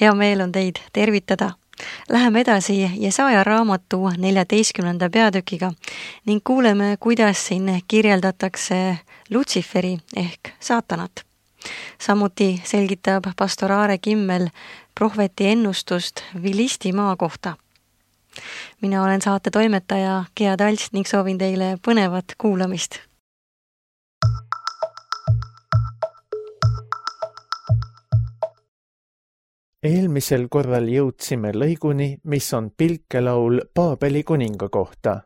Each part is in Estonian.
Hea meel on teid tervitada. Läheme edasi Jesaja raamatu 14. peatükiga ning kuuleme, kuidas siin kirjeldatakse Lutsiferi ehk saatanat. Samuti selgitab pastor Aare Kimmel prohveti ennustust Vilisti maa kohta. Mina olen saate toimetaja Gea Talts ning soovin teile põnevat kuulamist. Eelmisel korral jõudsime lõiguni, mis on pilkelaul Paabeli kuninga kohta.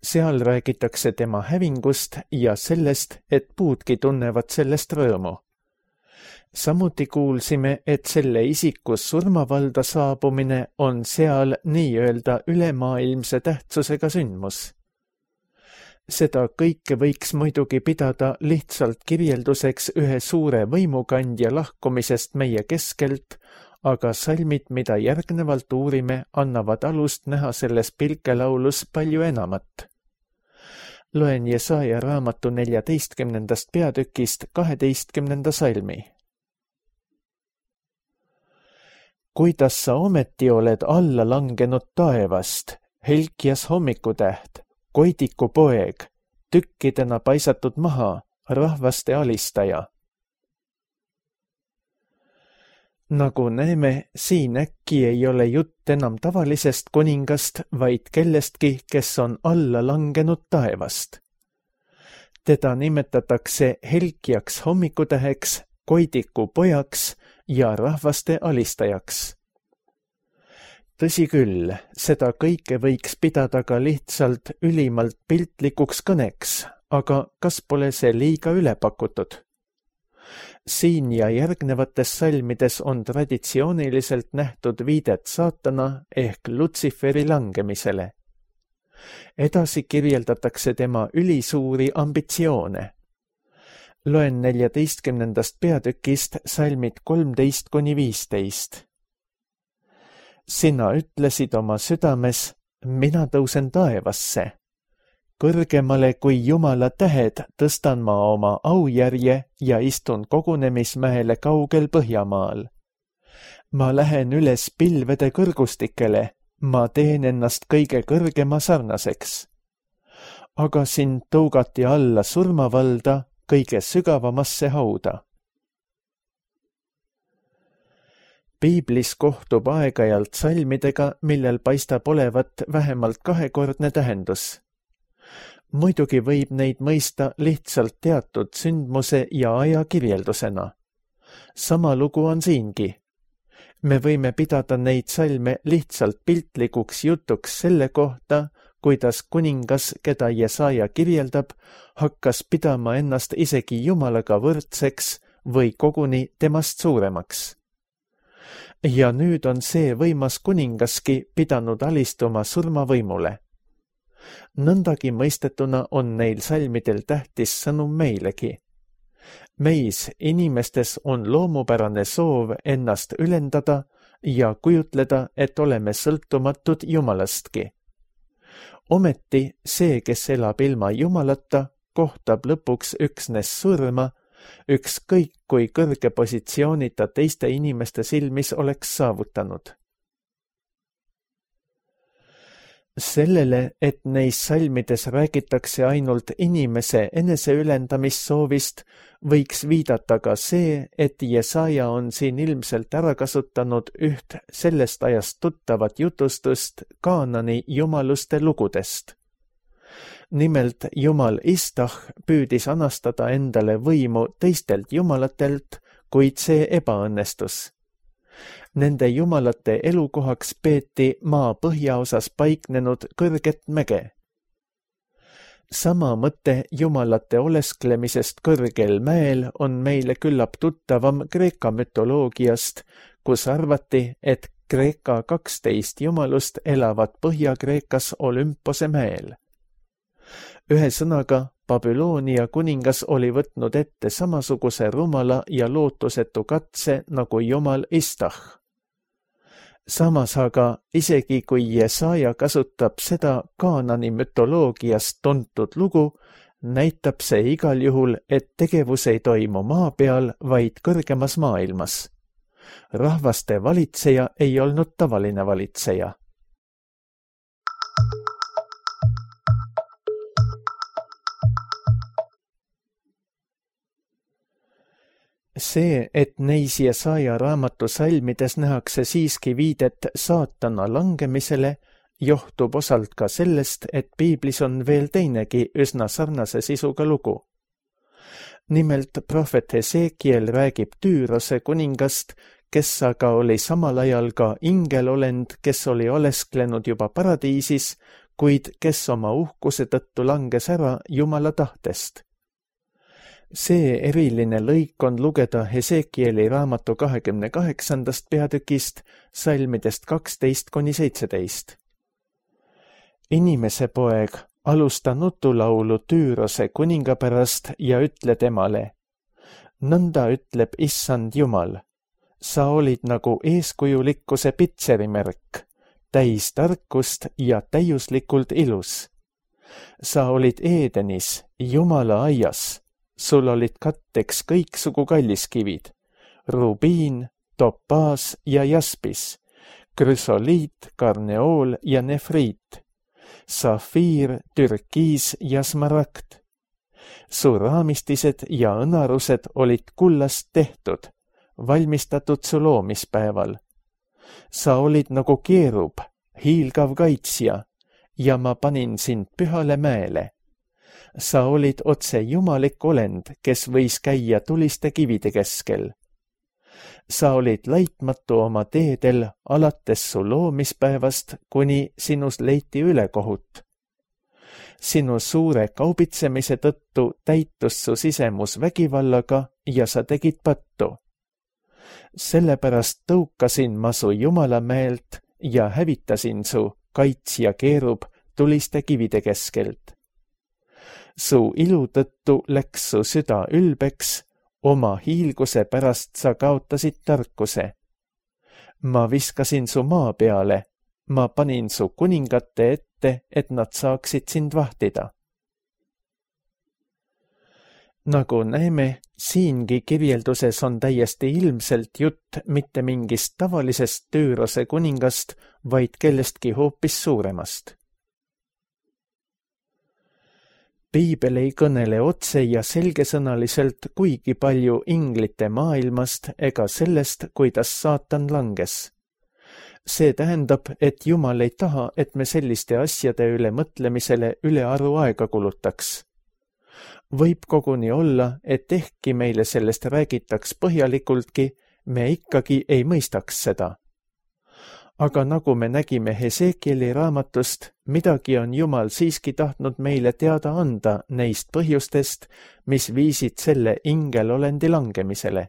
Seal räägitakse tema hävingust ja sellest, et puudki tunnevad sellest rõõmu. Samuti kuulsime, et selle isiku surmavalda saabumine on seal nii-öelda ülemaailmse tähtsusega sündmus. Seda kõike võiks muidugi pidada lihtsalt kirjelduseks ühe suure võimukandja lahkumisest meie keskelt, aga salmid, mida järgnevalt uurime, annavad alust näha selles pilkelaulus palju enamat. Loen Jesaja raamatu 14. peatükist 12. salmi. Kuidas sa ometi oled alla langenud taevast, helkjas hommikutäht, koidiku poeg, tükkidena paisatud maha, rahvaste alistaja. Nagu näeme, siin äkki ei ole jutt enam tavalisest kuningast, vaid kellestki, kes on alla langenud taevast. Teda nimetatakse helkjaks hommikutäheks, koidiku pojaks ja rahvaste alistajaks. Tõsi küll, seda kõike võiks pidada ka lihtsalt ülimalt piltlikuks kõneks, aga kas pole see liiga ülepakutud? Siin ja järgnevates salmides on traditsiooniliselt nähtud viidet saatana ehk Lutsiferi langemisele. Edasi kirjeldatakse tema ülisuuri ambitsioone. Loen 14. peatükist salmid 13-15. Sina ütlesid oma südames, mina tõusen taevasse. Kõrgemale kui Jumala tähed tõstan ma oma aujärje ja istun kogunemismäele kaugel Põhjamaal. Ma lähen üles pilvede kõrgustikele, ma teen ennast kõige kõrgema sarnaseks. Aga sind tõugati alla surmavalda, kõige sügavamasse hauda. Piiblis kohtub aeg-ajalt salmidega, millel paistab olevat vähemalt kahekordne tähendus. Muidugi võib neid mõista lihtsalt teatud sündmuse ja aja kirjeldusena. Sama lugu on siingi. Me võime pidada neid salme lihtsalt piltlikuks jutuks selle kohta, kuidas kuningas, keda Jesaja kirjeldab, hakkas pidama ennast isegi Jumalaga võrdseks või koguni temast suuremaks. Ja nüüd on see võimas kuningaski pidanud alistuma surmavõimule. Nõndagi mõistetuna on neil salmidel tähtis sõnum meilegi. Meis, inimestes, on loomupärane soov ennast ülendada ja kujutleda, et oleme sõltumatud Jumalastki. Ometi see, kes elab ilma Jumalata, kohtab lõpuks üksnes surma, ükskõik kui kõrge positsiooni ta teiste inimeste silmis oleks saavutanud. Sellele, et neis salmides räägitakse ainult inimese eneseülendamissoovist, võiks viidata ka see, et Jesaja on siin ilmselt ära kasutanud üht sellest ajast tuttavat jutustust Kaanani jumaluste lugudest. Nimelt Jumal Istah püüdis anastada endale võimu teistelt jumalatelt, kuid see ebaõnnestus. Nende jumalate elukohaks peeti maa põhjaosas paiknenud kõrget mäge. Sama mõte jumalate olesklemisest kõrgel mäel on meile küllap tuttavam Kreeka mütoloogiast, kus arvati, et Kreeka 12 jumalust elavad Põhja-Kreekas Olümpose mäel. Ühesõnaga, Babyloonia kuningas oli võtnud ette samasuguse rumala ja lootusetu katse nagu jumal Istah. Samas aga, isegi kui Jesaja kasutab seda Kaanani mütoloogiast tuntud lugu, näitab see igal juhul, et tegevus ei toimu maa peal, vaid kõrgemas maailmas. Rahvaste valitseja ei olnud tavaline valitseja. See, et neis Jesaja raamatu salmides nähakse siiski viidet saatana langemisele, johtub osalt ka sellest, et piiblis on veel teinegi üsna sarnase sisuga lugu. Nimelt prohvet Hesekiel räägib Tüürose kuningast, kes aga oli samal ajal ka ingelolend, kes oli olesklenud juba paradiisis, kuid kes oma uhkuse tõttu langes ära Jumala tahtest. See eriline lõik on lugeda Hesekieli raamatu 28. peatükist, salmidest 12–17. Inimese poeg, alusta nutulaulu Tüürose kuninga pärast ja ütle temale: nõnda ütleb Issand Jumal, sa olid nagu eeskujulikkuse pitserimärk, täis tarkust ja täiuslikult ilus. Sa olid Eedenis, Jumala aias. Sul olid katteks kõiksugu kalliskivid, rubiin, topaas ja jaspis, krüsoliit, karneool ja nefriit, safiir, türkiis ja smaragd. Su raamistised ja õnarused olid kullast tehtud, valmistatud su loomispäeval. Sa olid nagu keerub, hiilgav kaitsja, ja ma panin sind pühale mäele. Sa olid otse jumalik olend, kes võis käia tuliste kivide keskel. Sa olid laitmatu oma teedel alates su loomispäevast, kuni sinus leiti ülekohut. Sinu suure kaubitsemise tõttu täitus su sisemus vägivallaga ja sa tegid pattu. Sellepärast tõukasin ma su Jumala meelt ja hävitasin su, kaitsja keerub, tuliste kivide keskelt. Su ilu tõttu läks su süda ülbeks, oma hiilguse pärast sa kaotasid tarkuse. Ma viskasin su maa peale, ma panin su kuningate ette, et nad saaksid sind vahtida. Nagu näeme, siingi kirjelduses on täiesti ilmselt jutt mitte mingist tavalisest Tüürose kuningast, vaid kellestki hoopis suuremast. Piibel ei kõnele otse ja selgesõnaliselt kuigi palju inglite maailmast ega sellest, kuidas saatan langes. See tähendab, et Jumal ei taha, et me selliste asjade üle mõtlemisele ülearu aega kulutaks. Võib koguni olla, et ehkki meile sellest räägitaks põhjalikultki, me ikkagi ei mõistaks seda. Aga nagu me nägime Hesekieli raamatust, midagi on Jumal siiski tahtnud meile teada anda neist põhjustest, mis viisid selle ingelolendi langemisele.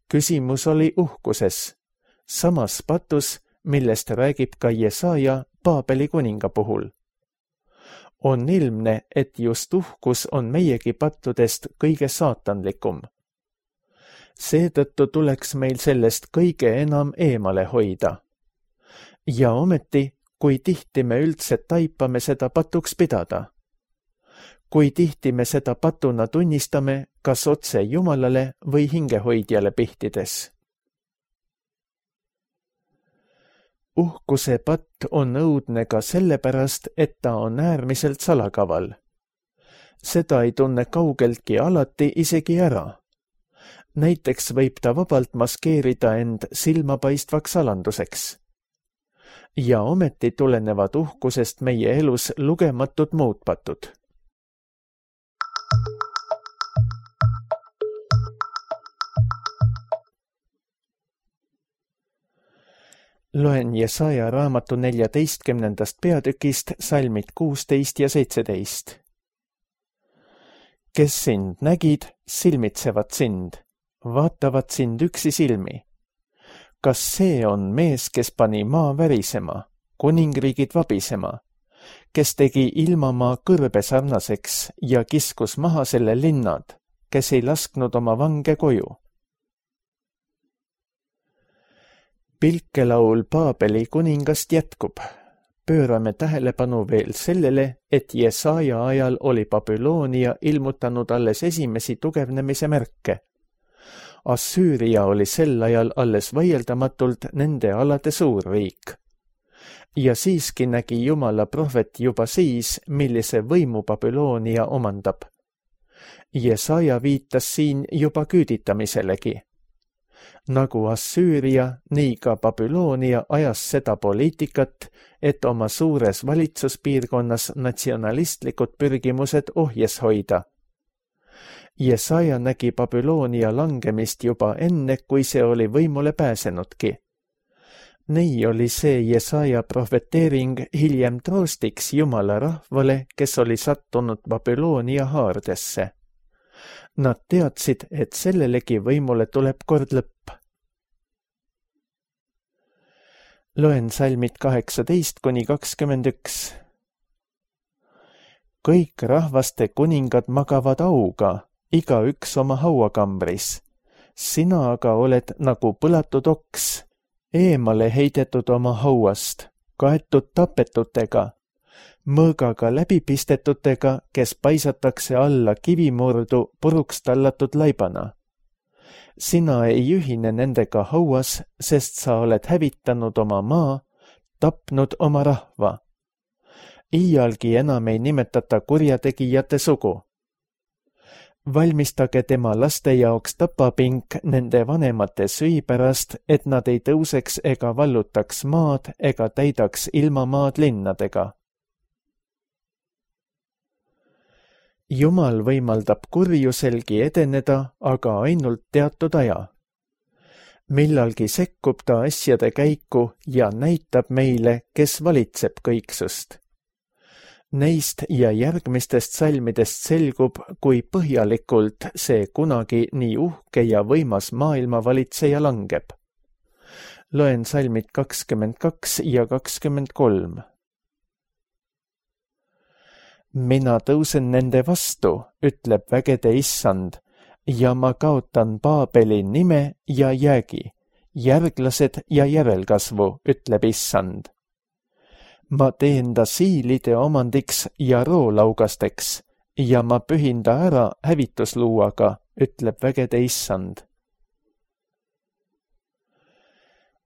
Küsimus oli uhkuses, samas patus, millest räägib ka Jesaja Paabeli kuninga puhul. On ilmne, et just uhkus on meiegi pattudest kõige saatanlikum. Seetõttu tuleks meil sellest kõige enam eemale hoida. Ja ometi, kui tihti me üldse taipame seda patuks pidada? Kui tihti me seda patuna tunnistame, kas otse Jumalale või hingehoidjale pihtides? Uhkuse patt on õudne ka sellepärast, et ta on äärmiselt salakaval. Seda ei tunne kaugeltki alati isegi ära. Näiteks võib ta vabalt maskeerida end silmapaistvaks alanduseks. Ja ometi tulenevad uhkusest meie elus lugematud muutpatud. Loen Jesaja raamatu 14. peatükist salmid 16 ja 17. Kes sind nägid, silmitsevad sind, vaatavad sind üksi silmi. Kas see on mees, kes pani maa värisema, kuningriigid vabisema, kes tegi ilmamaa kõrbe sarnaseks ja kiskus maha selle linnad, kes ei lasknud oma vange koju? Pilkelaul Paabeli kuningast jätkub. Pöörame tähelepanu veel sellele, et Jesaja ajal oli Babyloonia ilmutanud alles esimesi tugevnemise märke. Assüüria oli sel ajal alles vaieldamatult nende alade suurriik. Ja siiski nägi Jumala prohvet juba siis, millise võimu Babyloonia omandab. Jesaja viitas siin juba küüditamiselegi. Nagu Assüüria, nii ka Babyloonia ajas seda poliitikat, et oma suures valitsuspiirkonnas natsionalistlikud pürgimused ohjes hoida. Jesaja nägi Babyloonia langemist juba enne, kui see oli võimule pääsenudki. Nii oli see Jesaja prohveteering hiljem troostiks Jumala rahvale, kes oli sattunud Babyloonia haardesse. Nad teadsid, et sellelegi võimule tuleb kord lõpp. Loen salmid 18-21. Kõik rahvaste kuningad magavad auga, igaüks oma hauakambris. Sina aga oled nagu põlatud oks, eemale heidetud oma hauast, kaetud tapetutega, mõõgaga läbipistetutega, kes paisatakse alla kivimurdu puruks tallatud laibana. Sina ei ühine nendega hauas, sest sa oled hävitanud oma maa, tapnud oma rahva. Iialgi enam ei nimetata kurjategijate sugu. Valmistage tema laste jaoks tapapink nende vanemate süü pärast, et nad ei tõuseks ega vallutaks maad ega täidaks ilmamaad linnadega. Jumal võimaldab kurjuselgi edeneda, aga ainult teatud aja. Millalgi sekkub ta asjade käiku ja näitab meile, kes valitseb kõiksust. Neist ja järgmistest salmidest selgub, kui põhjalikult see kunagi nii uhke ja võimas maailmavalitseja langeb. Loen salmid 22 ja 23. Mina tõusen nende vastu, ütleb vägede issand, ja ma kaotan Paabeli nime ja jäägi, järglased ja järelkasvu, ütleb issand. Ma teen ta siilide omandiks ja roolaugasteks ja ma pühin ta ära hävitusluuaga, ütleb vägede issand.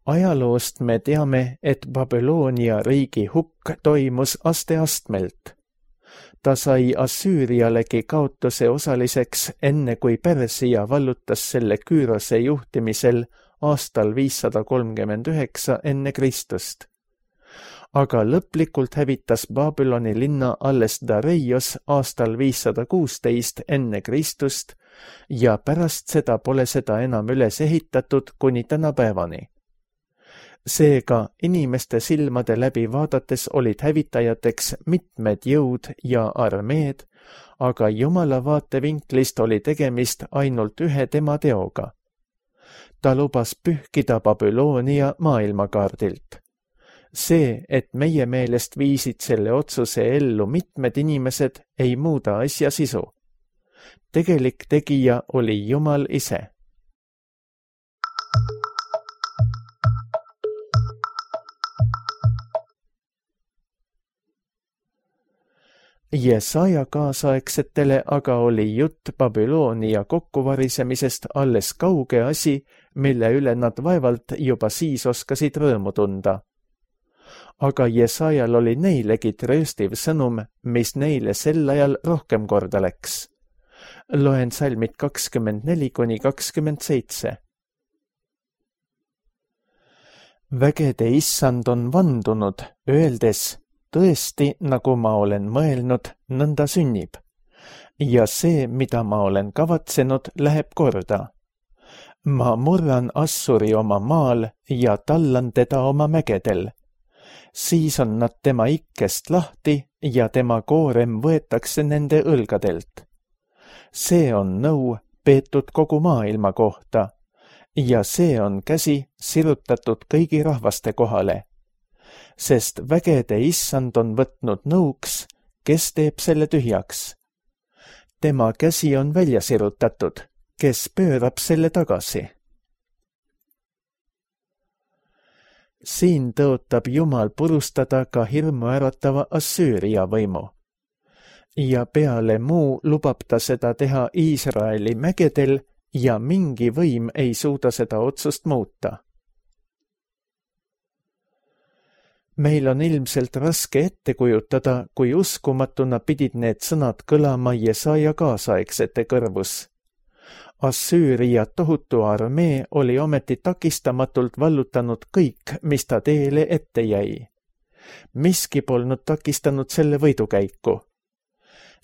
Ajaloost me teame, et Babyloonia riigi hukk toimus asteastmelt. Ta sai Assüürialegi kaotuse osaliseks, enne kui Persia vallutas selle Küürose juhtimisel aastal 539 enne Kristust. Aga lõplikult hävitas Babyloni linna alles Dareios aastal 516 enne Kristust ja pärast seda pole seda enam üles ehitatud kuni tänapäevani. Seega inimeste silmade läbi vaadates olid hävitajateks mitmed jõud ja armeed, aga Jumala vaatevinklist oli tegemist ainult ühe tema teoga. Ta lubas pühkida Babyloonia maailmakaardilt. See, et meie meelest viisid selle otsuse ellu mitmed inimesed, ei muuda asja sisu. Tegelik tegija oli Jumal ise. Jesaja kaasaegsetele aga oli jutt Babyloonia kokkuvarisemisest alles kauge asi, mille üle nad vaevalt juba siis oskasid rõõmu tunda. Aga Jesajal oli neilegi trööstiv sõnum, mis neile sel ajal rohkem korda läks. Loen salmid 24-27. Vägede issand on vandunud, öeldes, tõesti, nagu ma olen mõelnud, nõnda sünnib. Ja see, mida ma olen kavatsenud, läheb korda. Ma murran Assuri oma maal ja tallan teda oma mägedel. Siis on nad tema ikkest lahti ja tema koorem võetakse nende õlgadelt. See on nõu peetud kogu maailma kohta ja see on käsi sirutatud kõigi rahvaste kohale. Sest vägede issand on võtnud nõuks, kes teeb selle tühjaks. Tema käsi on välja sirutatud, kes pöörab selle tagasi. Siin tõotab Jumal purustada ka hirmuäratava Assüüria võimu. Ja peale muu lubab ta seda teha Iisraeli mägedel ja mingi võim ei suuda seda otsust muuta. Meil on ilmselt raske ette kujutada, kui uskumatuna pidid need sõnad kõlama Jesaja kaasaegsete kõrvus. Assüüria tohutu armee oli ometi takistamatult vallutanud kõik, mis ta teele ette jäi. Miski polnud takistanud selle võidukäiku.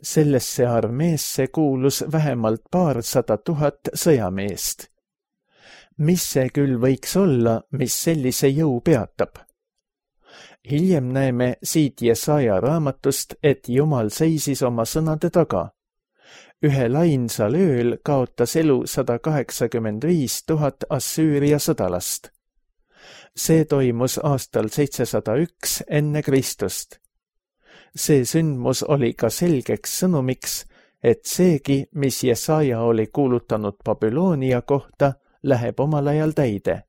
Sellesse armeesse kuulus vähemalt 200 000 sõjameest. Mis see küll võiks olla, mis sellise jõu peatab? Hiljem näeme siit Jesaja raamatust, et Jumal seisis oma sõnade taga. Ühel ainsal ööl kaotas elu 185 000 Assüüria sõdalast. See toimus aastal 701 enne Kristust. See sündmus oli ka selgeks sõnumiks, et seegi, mis Jesaja oli kuulutanud Babyloonia kohta, läheb omal ajal täide.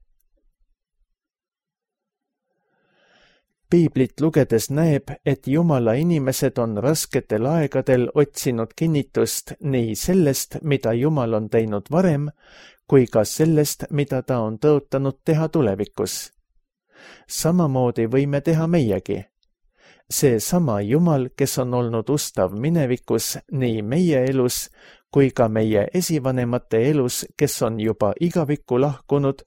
Piiblit lugedes näeb, et Jumala inimesed on rasketel aegadel otsinud kinnitust nii sellest, mida Jumal on teinud varem, kui ka sellest, mida ta on tõotanud teha tulevikus. Samamoodi võime teha meiegi. See sama Jumal, kes on olnud ustav minevikus nii meie elus kui ka meie esivanemate elus, kes on juba igavikku lahkunud,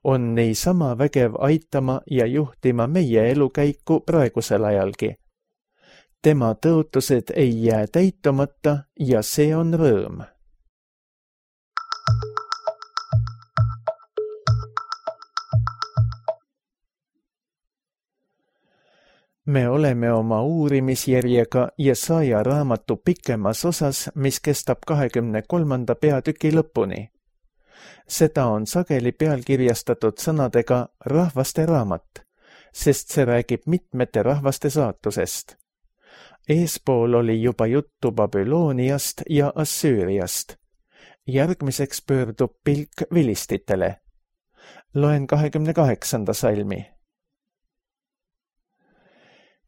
on niisama vägev aitama ja juhtima meie elukäiku praegusel ajalgi. Tema tõotused ei jää täitumata ja see on rõõm. Me oleme oma uurimisjärjega Jesaja raamatu pikemas osas, mis kestab 23. peatüki lõpuni. Seda on sageli pealkirjastatud sõnadega rahvaste raamat, sest see räägib mitmete rahvaste saatusest. Eespool oli juba juttu Babyloniast ja Assüüriast. Järgmiseks pöördub pilk vilistitele. Loen 28. salmi.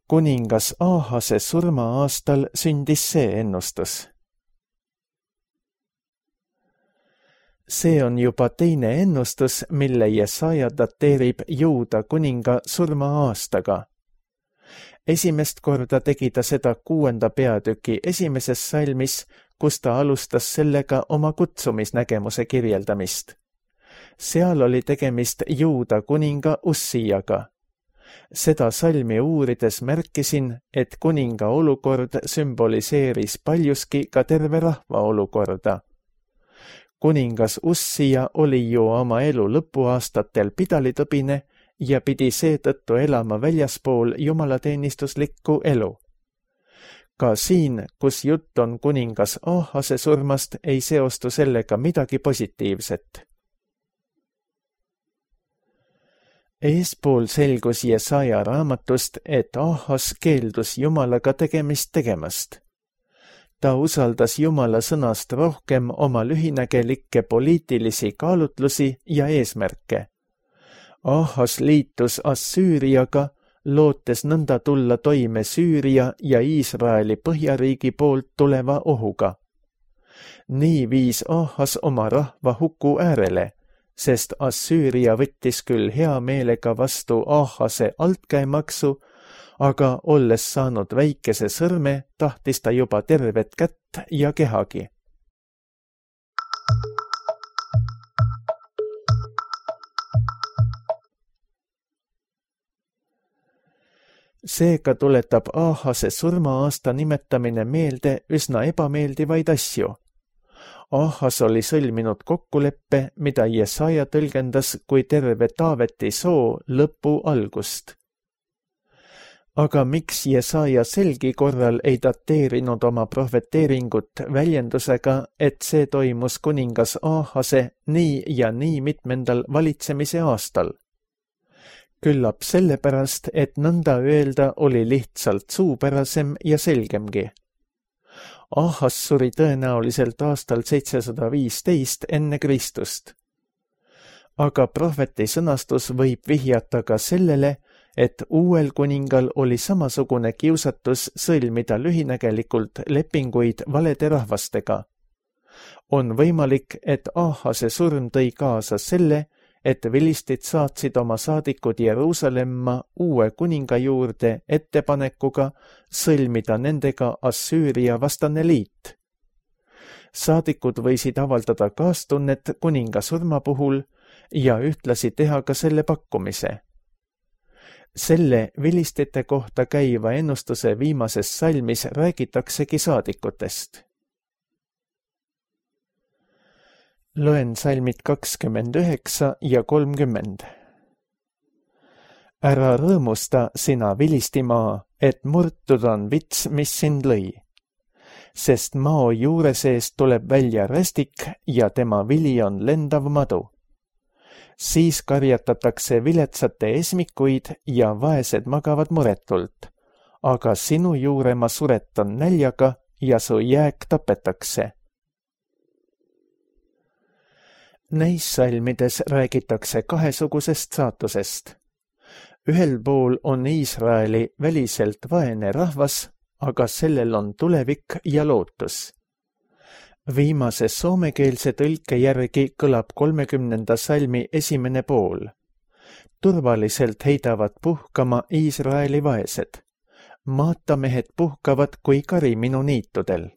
Kuningas Aahase surma aastal sündis see ennustus. See on juba teine ennustus, mille Jesaja dateerib Juuda kuninga surma aastaga. Esimest korda tegi ta seda 6. peatüki esimeses salmis, kus ta alustas sellega oma kutsumisnägemuse kirjeldamist. Seal oli tegemist Juuda kuninga Ussiaga. Seda salmi uurides märkisin, et kuninga olukord sümboliseeris paljuski ka terve rahva olukorda. Kuningas Ussia oli ju oma elu lõpuaastatel pidalitõbine ja pidi seetõttu elama väljaspool jumalateenistuslikku elu. Ka siin, kus jutt on kuningas Aahase surmast, ei seostu sellega midagi positiivset. Eespool selgus Jesaja raamatust, et Aahas keeldus Jumalaga tegemist tegemast. Ta usaldas Jumala sõnast rohkem oma lühinägelikke poliitilisi kaalutlusi ja eesmärke. Aahas liitus Assüüriaga, lootes nõnda tulla toime Süüria ja Iisraeli põhjariigi poolt tuleva ohuga. Nii viis Aahas oma rahva huku äärele, sest Assüüria võttis küll hea meelega vastu Aahase altkäemaksu, aga olles saanud väikese sõrme, tahtis ta juba tervet kätt ja kehagi. Seega tuletab Aahase surma-aasta nimetamine meelde üsna ebameeldivaid asju. Aahas oli sõlminud kokkuleppe, mida Jesaja tõlgendas kui terve Taaveti soo lõpu algust. Aga miks Jesaja selgi korral ei dateerinud oma prohveteeringut väljendusega, et see toimus kuningas Aahase nii ja nii mitmendal valitsemise aastal? Küllap sellepärast, et nõnda öelda oli lihtsalt suupärasem ja selgemgi. Aahas suri tõenäoliselt aastal 715 enne Kristust. Aga prohveti sõnastus võib vihjata ka sellele, et uuel kuningal oli samasugune kiusatus sõlmida lühinägelikult lepinguid valede rahvastega. On võimalik, et Ahase surm tõi kaasa selle, et vilistid saatsid oma saadikud Jeruusalemma uue kuninga juurde ettepanekuga sõlmida nendega Assüüria vastane liit. Saadikud võisid avaldada kaastunnet kuninga surma puhul ja ühtlasi teha ka selle pakkumise. Selle vilistite kohta käiva ennustuse viimases salmis räägitaksegi saadikutest. Loen salmid 29 ja 30. Ära rõõmusta, sina Vilistimaa, et murtud on vits, mis sind lõi. Sest mao juure seest tuleb välja rästik ja tema vili on lendav madu. Siis karjatatakse viletsate esmikuid ja vaesed magavad muretult, aga sinu juure ma suretan näljaga ja su jääk tapetakse. Neis salmides räägitakse kahesugusest saatusest. Ühel pool on Iisraeli väliselt vaene rahvas, aga sellel on tulevik ja lootus. Viimase soomekeelse tõlke järgi kõlab 30. salmi esimene pool. Turvaliselt heidavad puhkama Iisraeli vaesed. Maatamehed puhkavad kui kari minu niitudel.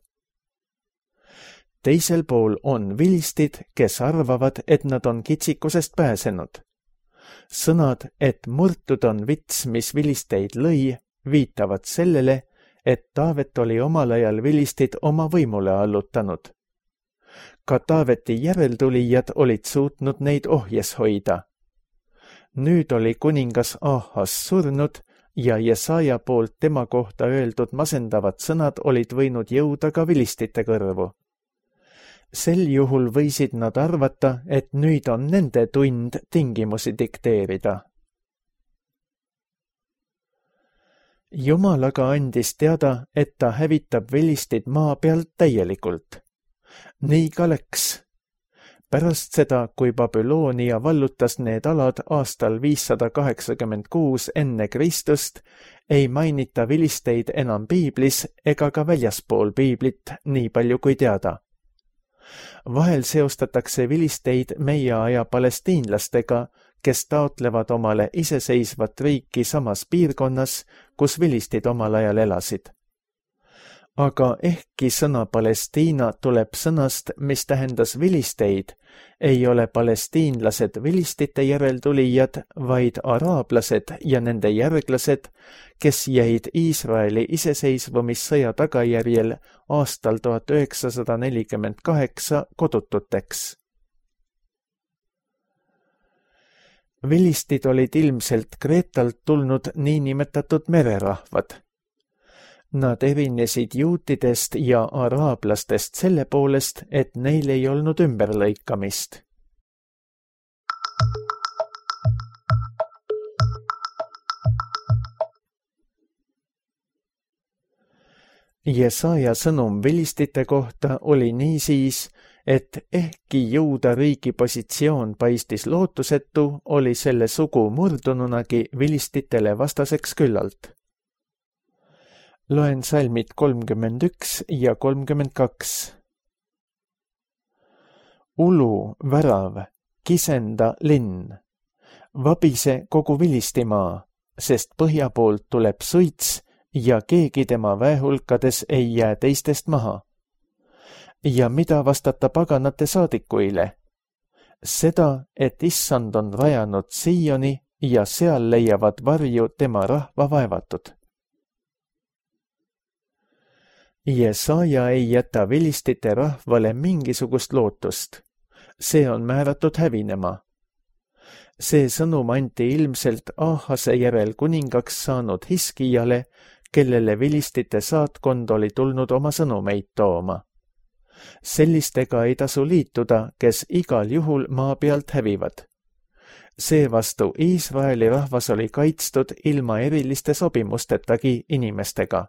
Teisel pool on vilistid, kes arvavad, et nad on kitsikusest pääsenud. Sõnad, et murtud on vits, mis vilisteid lõi, viitavad sellele, et Taavet oli omal ajal vilistid oma võimule allutanud. Ka Taaveti järeltulijad olid suutnud neid ohjes hoida. Nüüd oli kuningas Ahas surnud ja Jesaja poolt tema kohta öeldud masendavad sõnad olid võinud jõuda ka vilistite kõrvu. Sel juhul võisid nad arvata, et nüüd on nende tund tingimusi dikteerida. Jumal aga andis teada, et ta hävitab vilistid maa pealt täielikult. Nii ka läks. Pärast seda, kui Babyloonia vallutas need alad aastal 586 enne Kristust, ei mainita vilisteid enam piiblis ega ka väljaspool piiblit, nii palju kui teada. Vahel seostatakse vilisteid meie aja palestiinlastega, kes taotlevad omale iseseisvat riiki samas piirkonnas, kus vilistid omal ajal elasid. Aga ehkki sõna Palestiina tuleb sõnast, mis tähendas vilisteid, ei ole palestiinlased vilistite järeltulijad, vaid araablased ja nende järglased, kes jäid Iisraeli iseseisvumissõja tagajärjel aastal 1948 kodututeks. Vilistid olid ilmselt Kreetalt tulnud niinimetatud mererahvad. Nad erinesid juutidest ja araablastest selle poolest, et neil ei olnud ümberlõikamist. Jesaja sõnum vilistite kohta oli niisiis, et ehkki Juuda riigi positsioon paistis lootusetu, oli selle sugu murdununagi vilistitele vastaseks küllalt. Loen salmid 31 ja 32. Ulu, värav, kisenda linn, vabise kogu Vilistimaa, sest põhja poolt tuleb suits ja keegi tema väehulkades ei jää teistest maha. Ja mida vastata paganate saadikuile? Seda, et issand on rajanud Siioni ja seal leiavad varju tema rahva vaevatud. Jesaja ei jäta vilistite rahvale mingisugust lootust. See on määratud hävinema. See sõnum anti ilmselt Ahase järel kuningaks saanud Hiskijale, kellele vilistite saatkond oli tulnud oma sõnumeid tooma. Sellistega ei tasu liituda, kes igal juhul maa pealt hävivad. Seevastu Iisraeli rahvas oli kaitstud ilma eriliste sobimustestagi inimestega.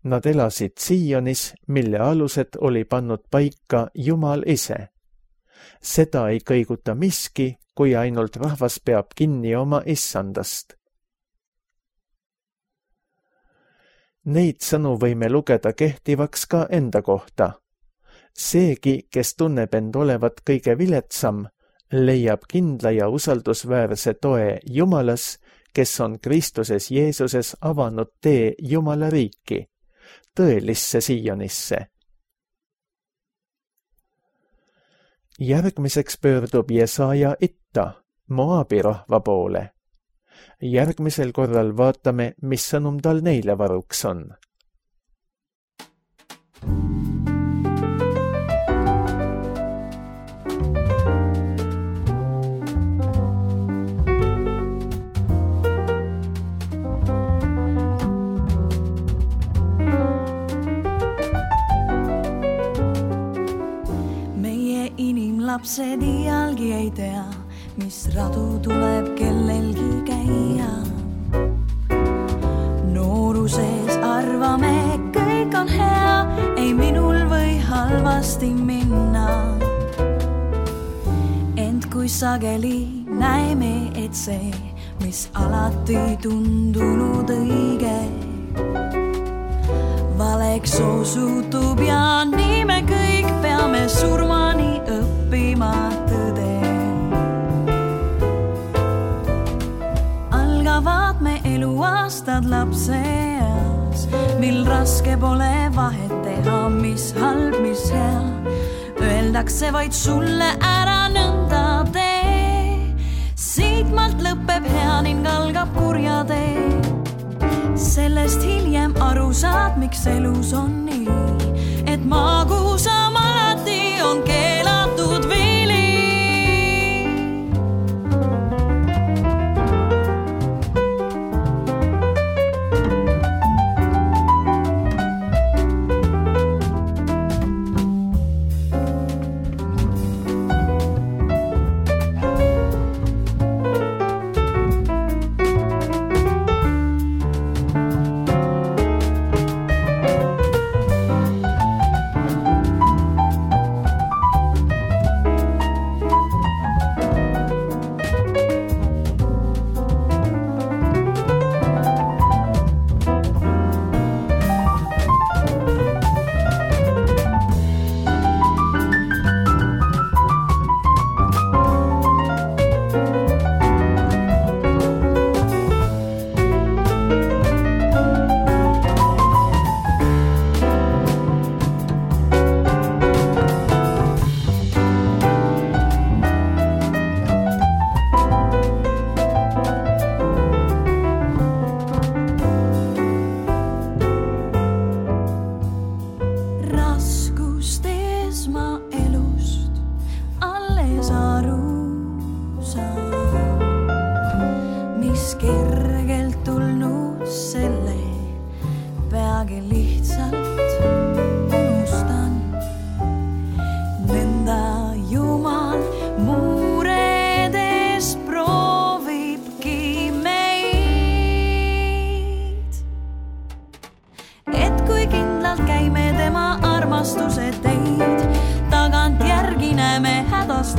Nad elasid Sionis, mille alused oli pannud paika Jumal ise. Seda ei kõiguta miski, kui ainult rahvas peab kinni oma issandast. Neid sõnu võime lugeda kehtivaks ka enda kohta. Seegi, kes tunneb end olevat kõige viletsam, leiab kindla ja usaldusväärse toe Jumalas, kes on Kristuses Jeesuses avanud tee Jumala riiki, tõelisse Siionisse. Järgmiseks pöördub Jesaja itta, Moabi rahva poole. Järgmisel korral vaatame, mis sõnum tal neile varuks on. Lapsed iialgi ei tea, mis radu tuleb kellelgi käia. Nooruses arvame, kõik on hea, ei minul või halvasti minna. Ent kui sageli näeme, et see, mis alati tundunud õige, valeks osutub ja nii me kõik peame surmani õppima tõde. Algavad me eluaastad lapseeas, mil raske pole vahet teha, mis halb, mis hea. Öeldakse vaid sulle ära nõnda tee, siitmalt lõpeb hea ning algab kurja tee. Sellest hiljem aru saad, miks elus on nii, et magusam alati on keelatud vili.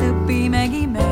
Õppimegi me.